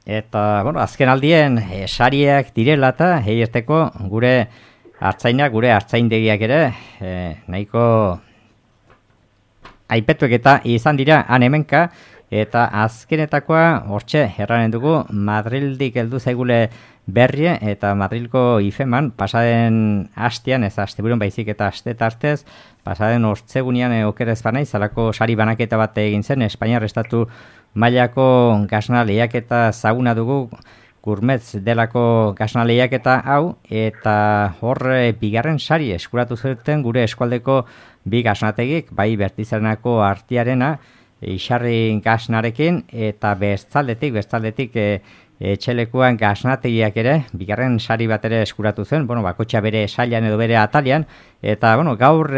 Eta, azken aldien sariak direla eta heierteko gure hartzainak, gure hartzaindegiak ere, nahiko aipetuek eta izan dira han hemenka, eta azkenetakoa hortxe erranen dugu Madrildik heldu zaigule berrie eta Madrilko ifeman pasaden hastean, ez asteburuan baizik eta aste tartez, pasaden ortzegunean okerez banaiz, zalako sari banaketa bat egin zen, Espainiar estatu mailako gasna lehiaketa zaguna dugu, Gourmetz delako gasna lehiaketa hau, eta hor bigarren sari eskuratu zuten gure eskualdeko bi gasnategik, bai Bertizarenako artiarena, Isarri gasnarekin, eta bestaldetik etxelekuan gasnategiak ere, bigarren sari bat ere eskuratu zen, bakotxa bere sailan edo bere atalian, eta gaur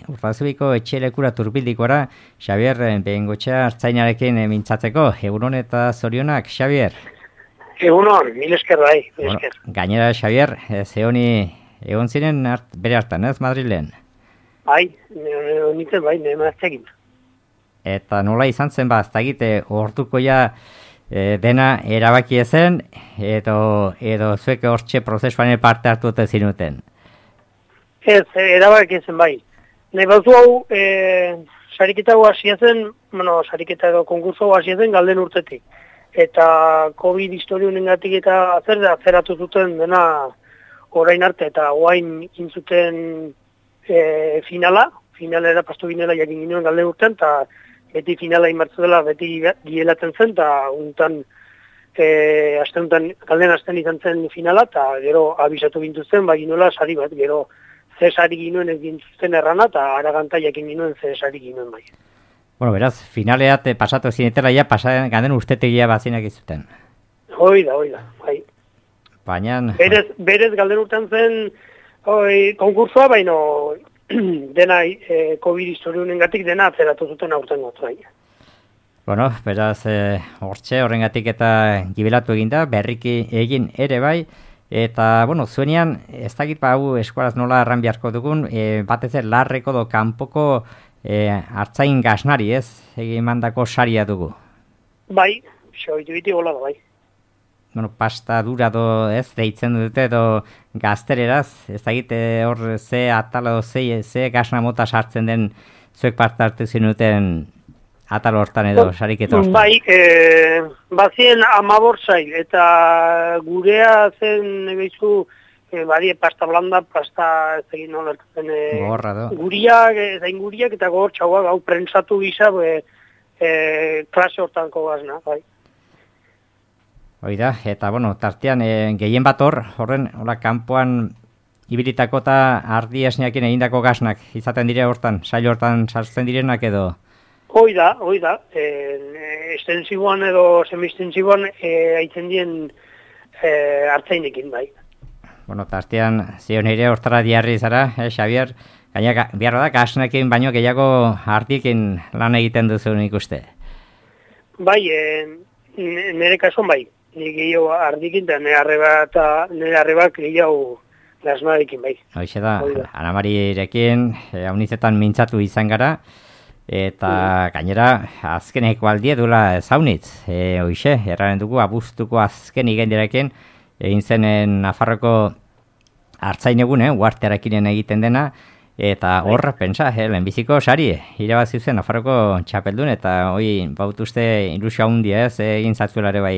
Urtazubiko etxelekura turbildikora, Xabier Behengotxea hartzainarekin mintzatzeko, egunon eta zorionak, Xabier? Egunon, mil esker bai, mil esker. Gainera, Xabier, zehoni egon ziren bere hartan, ez Madrilen? Bai, nintzen bai, nemaztekin. Eta nola izan zen, ez da egite, orduko ja dena erabaki ezen, edo zuek hortxe prozesuan parte hartu dute zinuten? Ez, erabaki ezen bai. Nahi bauzu hau, sariketa hau hasia zen, sariketa edo konkurso hau hasia zen galden urtetik. Eta COVID historiunengatik eta zeratu zuten dena orain arte, eta oain intzuten finalera pastu ginela jakin ginoen galden urtean, eta beti finala inbartzu dela, beti gielatzen zen, eta galden asten izan zen finala, eta gero abisatu gintuzten, ginoela sari bat, gero ze sari ginoen ez gintuzten errana, eta araganta jakin ginoen ze sari ginoen bai. Beraz, finaleat pasatu zinetela ja, ganden ustetegia bazinak izuten. Hoida, bai. Baina... Berez galden urtean zen konkursua, baina dena COVID historiunengatik dena atzeratu zuten aurten gotzai. Beraz, hortxe horrengatik eta gibelatu eginda, berriki egin ere bai, eta, zuenean, ez dakit hau eskualaz nola erran beharko dugun, batez larreko do kanpoko hartzain gasnari, ez? Egin mandako saria dugu. Bai, xoitu biti gola da, bai. Pasta dura do, ez, deitzen dute, edo gaztereraz, ez dakit hor ze atalo, ze gasna mota sartzen den zuek parte hartu zinuten atalo hortan edo sariketa hortan. Bai, bazien 15 sail, eta gurea zen, behizu, badie pasta blanda, pasta ez egin nola ertzen guriak eta gogor txauak hau prentsatu gisa klase hortanko gazna, bai. Oida, eta tartean gehien bat horren kanpoan ibilitako eta ardi esneakin egindako gaznak izaten dire hortan, sail hortan sartzen direnak edo? Oida, estensiboan edo semistensiboan haitzen dien hartzainekin, bai. Tartean zion ere hortara diarri zara, Xabier, gaina behar da gasnekin baino gehiago ardikin lan egiten duzu nik uste. Bai, nire kasuan bai, nire gehiago ardikin eta nire arrebak gehiago gasnarekin bai. Hoxe da, Anamarirekin haunizetan mintzatu izan gara, eta gainera azkeneko aldie dula zaunitz. Hoxe, erraren dugu abuztuko azken igendirekin, egin zenen Nafarroko hartzain egun, uartearekinen egiten dena, eta horra, pentsa, lehenbiziko sari, irabazi zen Nafarroko txapeldun, eta hoi bautuzte ilusio handia ez, egin zatzuelare bai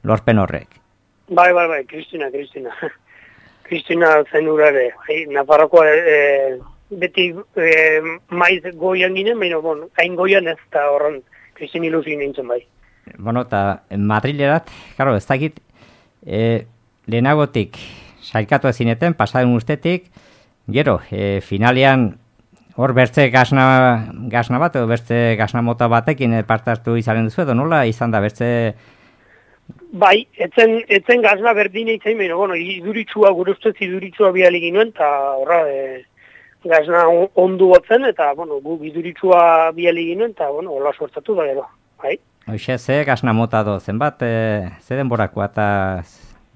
lorpen horrek. Bai, Kristina. Kristina zen urare, Nafarroko beti maiz goian ginen, baina hain goian ez, eta horren Kristin ilusio nintzen bai. Eta Madrilerat, karo, ez dakit, lehenagotik sailkatu ezineten, pasaden urtetik, gero, finalean hor bertze gasna bat, edo bertze gasna mota batekin parte hartu izaren duzu, edo nola izan da bertze... Bai, etzen gasna berdine izain, baina, iduritsua, gure ustez iduritsua bialik inoen, eta horra, gasna ondu batzen, eta, gu iduritsua bialik inoen, eta, hola suertatu da, gero, bai. Hoxe, ze gasna mota do, zenbat, ze denborakoa, eta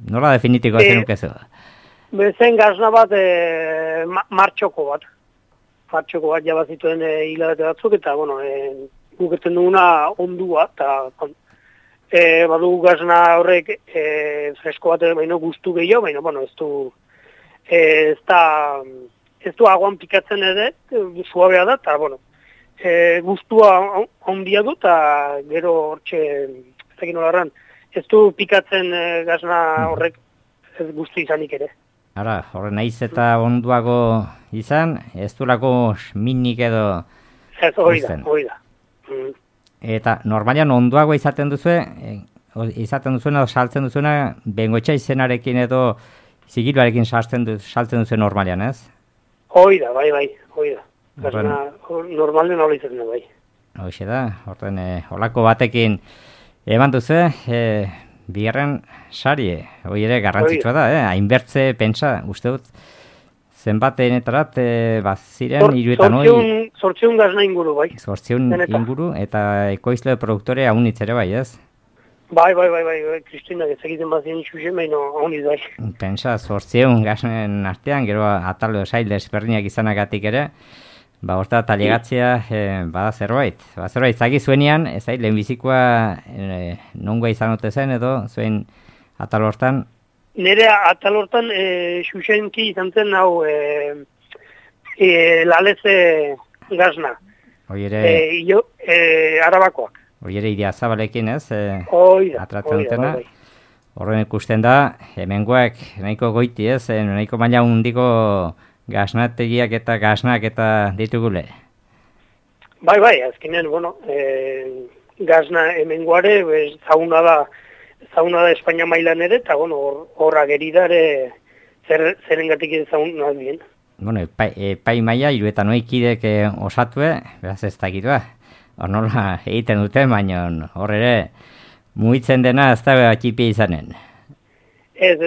nola definitiko zenuke zu? Zen gasna bat, martxoko bat. Martxoko bat jabazituen hilabete batzuk, eta, guketzen duguna ondua, eta badu gazna horrek fresko bat baino guztu gehiago, baina, bueno, ez du aguan pikatzen ere, suabea da, eta, bueno, guztua handia du, eta gero hortxe, ez dakit nolarran, ez du pikatzen gazna horrek ez guztu izanik ere. Ara, horren naiz eta onduago izan, ez du lako minik edo... Ez, hori da. Eta normalian onduago izaten duzuena edo saltzen duzuena, bengoetxa izenarekin edo zigiluarekin saltzen duzuen normalian, ez? Hoi da, bai, hoi da. Gazna, normalen hori izaten da, bai. Hoxe da, horren olako batekin eman duzu, bigarren sari, hori ere garrantzitsua da, hainbertze pentsa, uste dut, zenbateenetarat, ziren, 800 gazna inguru, bai. 800 inguru, eta ekoizle produktore haunitz ere bai, ez? Bai, Kristina, ez egiten bazien xuxen, baina hauniz bai. Pentsa, 800 gaznen artean, gero ataldo sail desberdinak izanagatik ere, horta talegatzea, bada zerbait. Zerbait, zagi zuenean, ez da, lehenbizikoa nongoa izan ote zen, edo zuen atal hortan? Nire atal hortan, xuxenki izan zen, hau, laleze gazna. Hoi ere... Arabakoak. Hoi ere idea zabalekin, ez? Atratzen dutena. Horren ikusten da, hemengoak nahiko goiti, ez? Nahiko maila hundiko gaznategiak eta gaznak eta ditugule. Bai, azkenean, bueno, gazna hemengoare, zauna da Espainia mailan ere, eta, bueno, horra geridare zerengatik zauna bien. Bueno, epai maila, 59 osatue, beraz ez dakitua. Hor nola egiten dute, baina hor ere mugitzen dena ez da txipia izanen. Ez,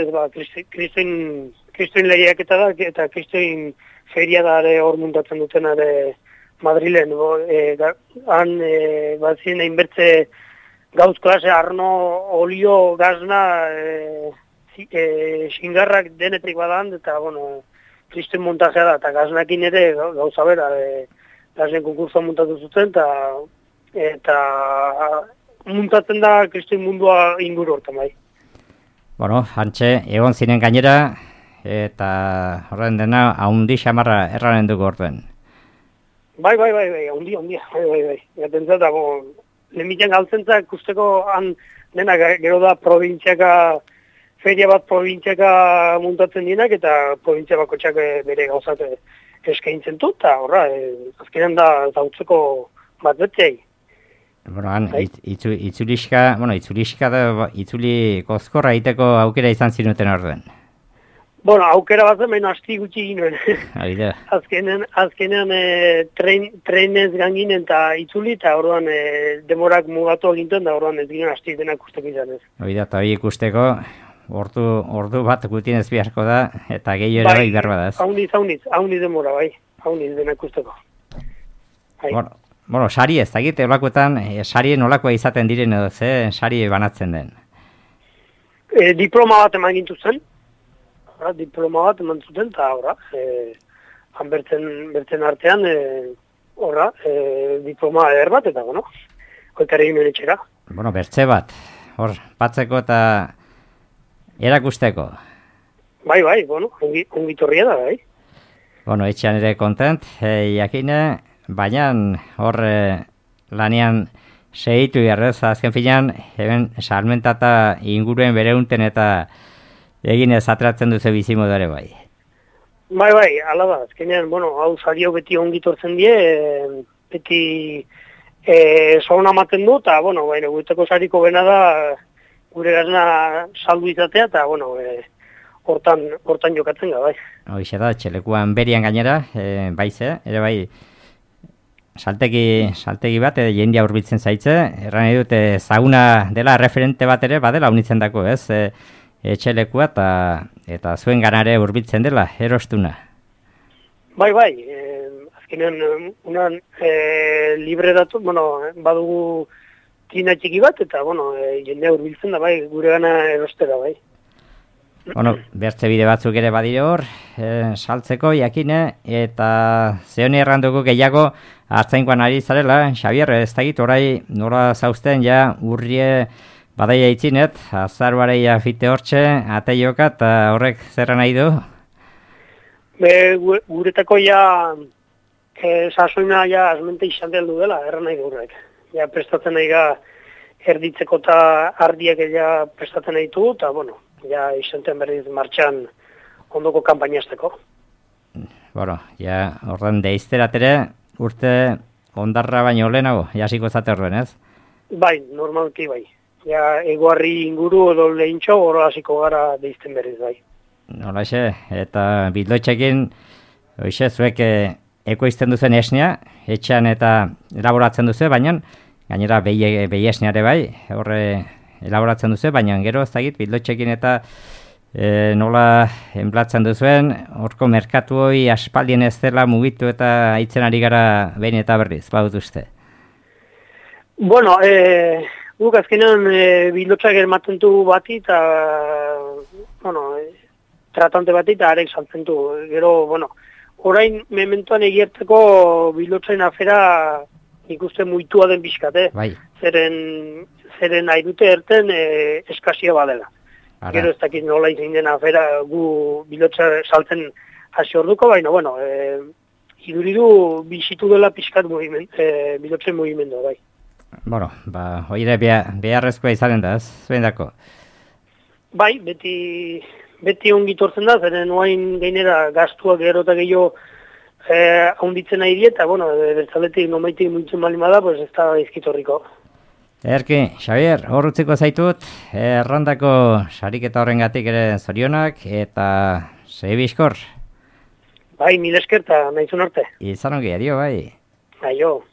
Kristoin lehiaketa da, eta Kristoin feria da hor muntatzen duten Madrilen. Han bazien hainbertze gauz klase, arno, olio, gazna, xingarrak denetik badan, eta, bueno, Kristoin montajea da, eta gaznakin ere gauza bera, gazien konkursoa muntatu zuten, eta muntatzen da Kristoin mundua inguru hortan, bai. Bueno, hantxe, egon ziren gainera, eta horren dena, haundi xamarra erraren dugu orduen. Bai, haundi, bai. Gaten zata, lehemitzen galtzentzak, usteko han dena gero da feria bat probintziaka muntatzen dienak, eta provintzia bakotxak bere gauzat eskaintzen du, eta horra, azkenean da zautzeko bat betzei. Bueno, han, itzuli kozkorra egiteko aukera izan zinuten orduen. Bueno, aukera bat zen, baina asti gutxi ginen. Azkenean trenez ganginen eta itzuli, eta orduan demorak mugatu egiten, da orduan ez ginen asti denak usteko izan ez. Eta hori ikusteko, ordu bat gutien ez beharko da, eta gehiago ere behar badaz. Hauniz demora, bai. Hauniz denak usteko. Bueno, sari ez, egite olakoetan, sari nolakoa izaten diren edo, sari banatzen den? Diploma bat eman gintu zen. Diploma bat eman zuten, eta horra, han bertzen artean, horra, diploma bat, eta, bueno, koetare ginen etxera. Bueno, bertze bat, hor, batzeko eta erakusteko. Bai, bueno, ongitorria da, bai. Bueno, etxean ere kontent, jakine, baina hor lanean segitu jarrez, azken finean, hemen salmentata inguruen bereunten eta eginez atratzen duzu bizimodare bai. Bai, ala da, azkenean, bueno, hau sario beti ongitortzen die, beti zona maten du, eta, bueno, guteko sariko bena da, gure gazna saldu izatea, eta, bueno, hortan jokatzen ga, bai. Hoxe da, txelekuan berian gainera, baize, ere bai, saltegi bat, jendia hurbiltzen zaitze, erran edut, zauna dela referente bat ere, badela unitzen dako, ez? Etxelekua eta zuen ganare hurbiltzen dela, erostuna. Bai, azkenean, unan libre datu, badugu tina txiki bat, eta, jendea hurbiltzen da, bai, gure gana erostera, bai. Bertze bide batzuk ere badire hor, saltzeko, jakine, eta zehoni erranduko gehiago hartzainkoan ari zarela, Xabier, ez dakit, orai nola zauzten, ja, urrie Badaia itzinet, azaruareia fite hortxe, ateioka, eta horrek zerra nahi du? Guretako ja, sasoina ja azmente izan du dela, erra nahi du horrek. Ja prestatzen nahi ga, erditzeko eta ardiak ja prestatzen nahi du, eta bueno, ja izanten berriz martxan ondoko kanpainazteko. Bueno, ja ordan deizteratere urte ondarra baino lehenago, jasiko zate horren, ez? Bai, normalki bai. Ja, egoarri inguru edo lehintxo, oro hasiko gara deizten berriz bai. Nolaxe, eta bildotxekin, hoxe, zuek ekoizten duzen esnea, etxean eta elaboratzen duzu, baina gainera behi esneare bai, horre elaboratzen duzu, baina gero ez dakit bildotxekin eta nola enblatzen duzuen, horko merkatu hoi aspaldien ez dela mugitu eta aitzen ari gara behin eta berriz, badut uste. Bueno, guk azkenean bildotxak ematen du bati eta, bueno, tratante bati eta arek saltzen du. Gero, bueno, orain mementoan egiertzeko bildotxain afera ikusten muitua den bizkate. Bai. Zeren nahi dute erten eskazia badela. Ara. Gero ez dakit nola izin den afera gu bildotxa saltzen hasi orduko, baina, bueno, iduridu bizitu dela pixkat bildotxen mugimendu, bai. Bueno, oire beharrezkoa izanen da, ez? Zuen dako? Bai, beti ongitortzen da, zeren oain gainera gaztuak gero eta gehiago haunditzen nahi dieta, bueno, bertzaletik nomaitik muitzen balimada, pues ez da izkitorriko. Erki, Xavier, hor utziko zaitut, errandako sariketa horrengatik ere zorionak, eta segi bizkor. Bai, mil esker eta nahizun arte. Izan ongi, adio, bai. Aio.